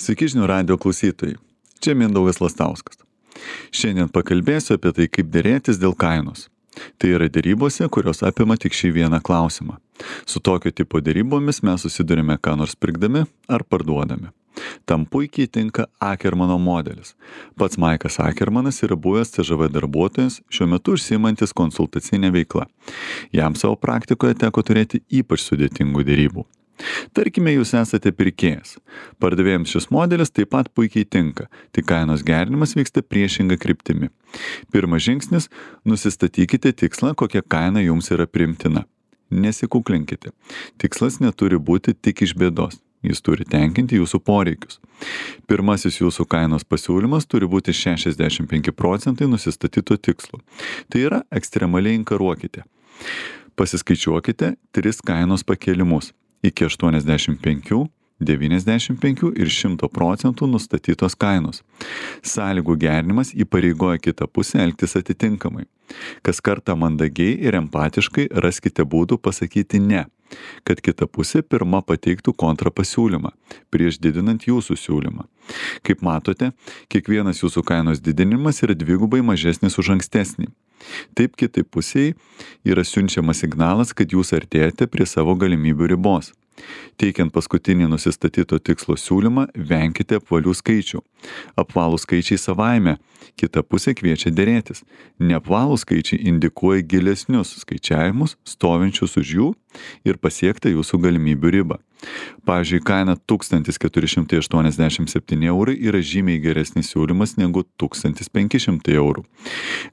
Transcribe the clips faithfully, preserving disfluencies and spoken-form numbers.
Sveiki žinių radijo klausytojai, čia Mindaugas Lastauskas. Šiandien pakalbėsiu apie tai, kaip derėtis dėl kainos. Tai yra derybose, kurios apima tik šį vieną klausimą. Su tokio tipo derybomis mes susidurime ką nors pirkdami ar parduodami. Tam puikiai tinka Akermano modelis. Pats Maikas Akermanas yra buvęs C Ž V darbuotojas, šiuo metu užsiimantis konsultacinę veiklą. Jam savo praktikoje teko turėti ypač sudėtingų derybų. Tarkime, jūs esate pirkėjas. Pardavėjams šis modelis taip pat puikiai tinka, tik kainos gerinimas vyksta priešinga kryptimi. Pirmas žingsnis – nusistatykite tikslą, kokia kaina jums yra priimtina. Nesikuklinkite. Tikslas neturi būti tik iš bėdos. Jis turi tenkinti jūsų poreikius. Pirmasis jūsų kainos pasiūlymas turi būti šešiasdešimt penki procentai nusistatyto tikslo. Tai yra, ekstremaliai inkaruokite. Pasiskaičiuokite tris kainos pakėlimus iki aštuoniasdešimt penki, devyniasdešimt penki ir šimto procentų nustatytos kainos. Sąlygų gerinimas įpareigoja kitą pusę elgtis atitinkamai. Kas kartą mandagiai ir empatiškai raskite būdų pasakyti ne, kad kita pusė pirma pateiktų kontrapasiūlymą, prieš didinant jūsų siūlymą. Kaip matote, kiekvienas jūsų kainos didinimas yra dvigubai mažesnis už ankstesnį. Taip kitai pusiai yra siunčiamas signalas, kad jūs artėjate prie savo galimybių ribos. Teikiant paskutinį nusistatyto tikslo siūlymą, venkite apvalių skaičių. Apvalų skaičiai savaime, kita pusė kviečia derėtis. Neapvalų skaičiai indikuoja gilesnius skaičiavimus, stovinčius už jų ir pasiektą jūsų galimybių ribą. Pavyzdžiui, kaina tūkstantis keturi šimtai aštuoniasdešimt septyni eurai yra žymiai geresnis siūlymas negu tūkstantis penki šimtai eurų.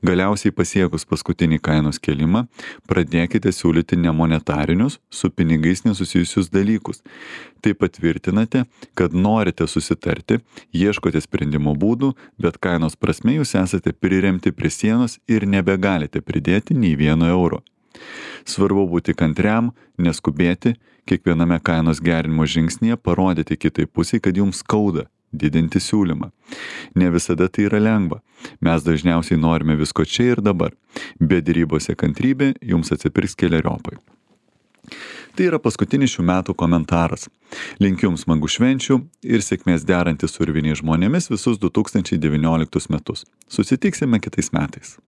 Galiausiai pasiekus paskutinį kainos kėlimą, pradėkite siūlyti nemonetarinius, su pinigais nesusijusius dalykus. Tai patvirtinate, kad norite susitarti, ieškote sprendimo būdų, bet kainos prasme jūs esate priremti prie sienos ir nebegalite pridėti nei vieno euro. Svarbu būti kantriam, neskubėti, kiekviename kainos gerinimo žingsnyje parodyti kitai pusiai, kad jums skauda didinti siūlymą. Ne visada tai yra lengva. Mes dažniausiai norime visko čia ir dabar. Bet derybose kantrybė jums atsipirks keleriopai. Tai yra paskutinis šių metų komentaras. Linkiu jums smagų švenčių ir sėkmės derantis su urviniais žmonėmis visus du tūkstančiai devynioliktus metus. Susitiksime kitais metais.